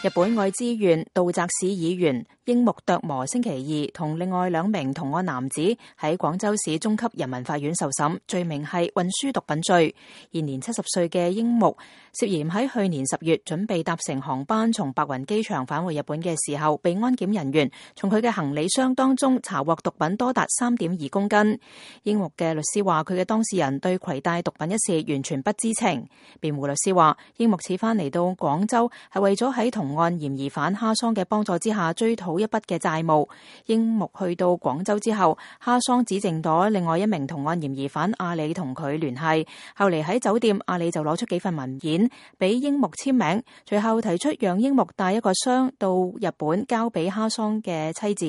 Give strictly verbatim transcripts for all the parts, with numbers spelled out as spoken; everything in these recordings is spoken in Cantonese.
日本愛知縣道澤市議員櫻木琢磨星期二同另外兩名同案男子喺廣州市中級人民法院受審，罪名係運輸毒品罪。現年七十歲嘅櫻木涉嫌喺去年十月準備搭乘航班從白雲機場返回日本嘅時候，被安檢人員從佢嘅行李箱當中查獲毒品多達三點二公斤。櫻木嘅律師話，佢嘅當事人對攜帶毒品一事完全不知情。辯護律師話，櫻木此番嚟到廣州係為咗喺同案嫌疑犯哈桑嘅幫助之下追討一筆嘅債務。櫻木去到廣州之後，哈桑指證咗另外一名同案嫌疑犯阿里同佢聯繫，後嚟喺酒店，阿里就攞出幾份文件俾櫻木簽名，隨後提出讓櫻木帶一個箱到日本交俾哈桑嘅妻子。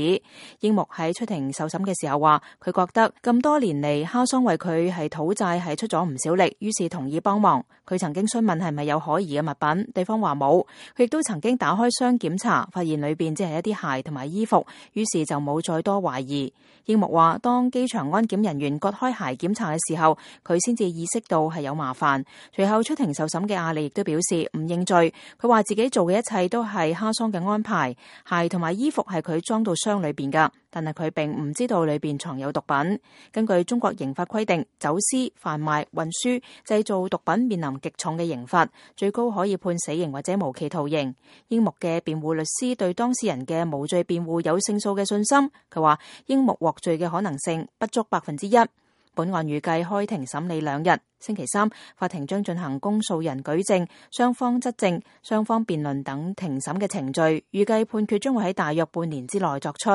櫻木喺出庭受審嘅時候話，佢覺得咁多年嚟哈桑為佢係討債係出咗唔少力，於是同意幫忙。佢曾經詢問係咪有可疑嘅物品，對方話冇。佢亦都曾經打開箱檢查，發現裏邊只係一啲鞋同埋衣服，於是就冇再多懷疑。櫻木話，當機場安檢人員割開鞋檢查嘅時候，佢先至意識到係有麻煩。隨後出庭受審嘅阿里亦都表示唔認罪，佢話自己做嘅一切都係哈桑嘅安排，鞋同埋衣服係佢裝到箱裏邊噶，但係佢並唔知道裏邊藏有毒品。根據中國刑法規定，走私、販賣、運輸、製造毒品面臨極重嘅刑罰，最高可以判死刑或者無期徒刑。櫻木嘅辯護律師對當事人嘅無罪辯護有勝訴嘅信心，佢話櫻木獲罪嘅可能性不足百分之一。本案預計開庭審理兩日，星期三法庭將進行公訴人舉證、雙方質證、雙方辯論等庭審嘅程序，預計判決將會喺大約半年之內作出。